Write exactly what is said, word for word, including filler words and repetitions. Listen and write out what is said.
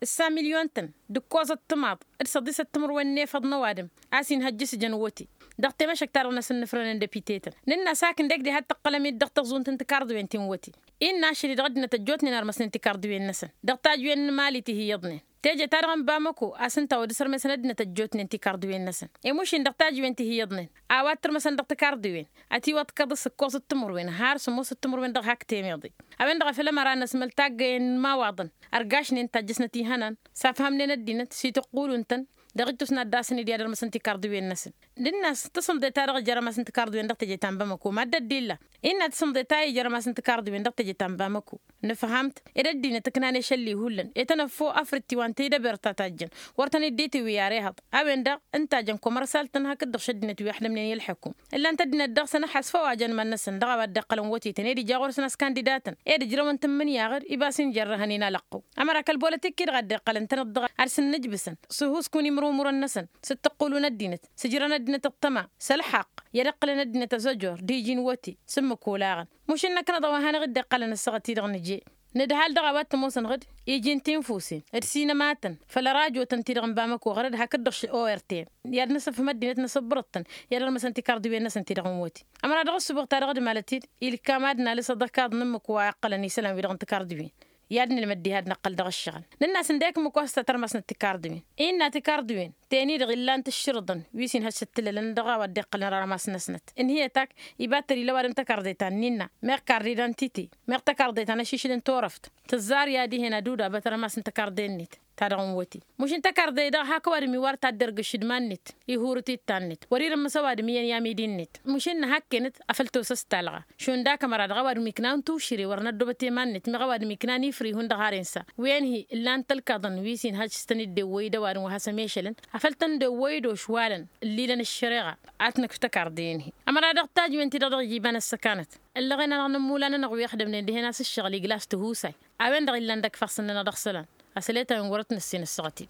ǝssa milyon-tăn d-ǝkkoẓăt timaḍ d-săḍisăt timǝrwen n-efăḍ n-ăwadǝm a-s inhăjjǝs jăn wăte. Dăɣ-temăšăkt-ta-dăɣ n-asǝnnǝfrănen d-epite-tăn nǝnn'-as hak ǝndek diha d-tǝqqălăm-dd dăɣ-taẓunt n-tikarḍǝwen ti n-wăte. Innă ašăl-i dăɣ-ăddinăt ăjjootnen armăsnen tikarḍǝwen-năsăn dăɣ-tajǝwen n-imali ti hi-iyyăḍnen. Teje-ta-dăɣ n-bamăko a-s ǝnta a wăr dd-sărmesăn ăddinăt ăjjootnen tikarḍǝwen-năsăn. I-mušin dăɣ-tajǝwen ti hi-iyyăḍnen a-wa t-tărmăsăn dăɣ-tikarḍǝwen ătiwăḍkăḍ s-ǝkkoẓăt timǝrwen har sǝmmosăt timǝrwen dăɣ-hak temeḍe. A-wen-dăɣ a făl ămăra n-ăsmăl taggăyen n-imawaḍăn ărgašnen tajjăsnăt ihănan s-afhămnen ăddinăt s-itǝqqulun-tăn. Dăɣ-ijtus n-ad-dd-asăn-dd i-ad-ărmăsăn tikarḍǝwen-năsăn. D-inna-s tasǝmḍe-ta-dăɣ ijărăm-asăn tikarḍǝwen dăɣ-teje ta n-bamăko mad-dd-illa. Innă tasǝmḍe-ta ijărăm-asăn tikarḍǝwen dăɣ-teje ta n-bamăko. Nǝfham-t ed ăddinăt ǝknan ešălli hullan e-tăn-ăffo afrǝt tiwa n-tidăbert ta tajjăn. Wăr tăn-dd-itǝwǝy ar ehăḍ a-wen-dăɣ ǝnta a jăn komărsal-tăn hakd-dăɣ šăddinăt wi ăḥdămnen i-ălḥăkum. Ǝllan-t ăddinăt dăɣ-săn ăḥasfăw ajăn iman-năsăn dăɣ-a-wa dd-iqqălăn wătetăn ed ija ɣur-săn a-s kandida-tăn ed ǝjrăwăn tǝmmǝnǝya ɣǝr-i ba s-injărrăhăn-in alăqqu. Ămăra kăl-bolătik-i-dăɣ a dd-iqqălăn-tăn-dd dăɣ-ad-sǝnnǝjbǝsăn s-ihusku n-imrumurăn-năsăn s-ǝttǝqqulun ăddinăt s-ǝjrăn ăddinăt ăṭṭăma s-ălxaqq i-ad-iqqǝlăn ăddinăt ăzăjor d-iji n-wăte. S-ǝmmǝk olaɣăn mušǝnnăknăḍ a-wa hanăɣ-dd-iqqălăn ăssaɣăt-i-dăɣ nǝje. Nǝdhal dăɣ-a-wa t-ămoosăn ɣǝd iji n-tinfusen d-sinămatăn făll-ărajotăn-ti-dăɣ n-bamăko ɣărăd hakd-dăɣ š-ortn i-ad-nǝsǝfhǝm ăddinăt n-asǝbbărăḍ-tăn i-ad-ărmăsăn tikarḍǝwen-năsăn ti-dăɣ n-wăte. Ămăra dăɣ-ǝssǝbuɣ-ta-dăɣ d-malăt-dd ilkam ad-nalǝs aḍăkaḍ n-ǝmmǝk wa iqqălăn isălan-wi-dăɣ n-tikarḍǝwen. I-ad-nǝlmăd diha ad-năqqăl dăɣ-ǝššăɣǝl nǝnn'-as ǝndek ǝmmǝk wa s-tăt-ărmăsnăt tikarḍǝwen. Innă tikarḍǝwen teni-dăɣ illan-t ǝššǝrǝḍăn wi s-inhăj s-ǝttǝlălăn dăɣ-a-wa dd-iqqălăn ărmasnăsnăt ǝnhǝyăt ak iba tăr-ila ăwadǝm tăkarḍe ta n-innă meɣ kardidantite meɣ tăkarḍe ta n-ašišǝl n-turăft. Tǝzzar i-ad-ih'-en ad-udabăt ărmasăn tăkarḍe-net ta dăɣ-n wăte. Mušǝn tăkarḍe-i-dăɣ hak ăwadǝm iwar taddărgǝššǝd iman-net ihurǝt ittan-net wăr-irǝmmǝs ăwadǝm iyyăn i-amidi-net. Mušǝn nǝhakken-t afăl tosăs talɣa šund ak ămăra dăɣ-ăwadǝm iknan tušǝre wăr năddobăt i-iman-net meɣ ăwadǝm iknan ifrihun dăɣ-har-insa. Wen-hi ǝllan-t ălkaḍăn wi s-inhăj s-tăn-dd-ewwăy d-ăwadǝm wa has-ămešălăn afăl tăn-dd-ewwăy d-ošwalăn ǝllilăn ăššăreɣa. Ad-t-nǝkf tăkarḍe-en-hi ămăra dăɣ-tajǝwen-ti-dăɣ dăɣ-ijibăn ăssăkanăt ǝllăɣen-anăɣ n-ămmulan-anăɣ wi ăxdămnen dihen a-s ǝššăɣǝl igla s-tihusay. A-wen-dăɣ illan dăgg-ifassăn-nănăɣ dăɣ-isălan asăl i-ta-wen wăr-ătnăssen ăssaɣăt-dd.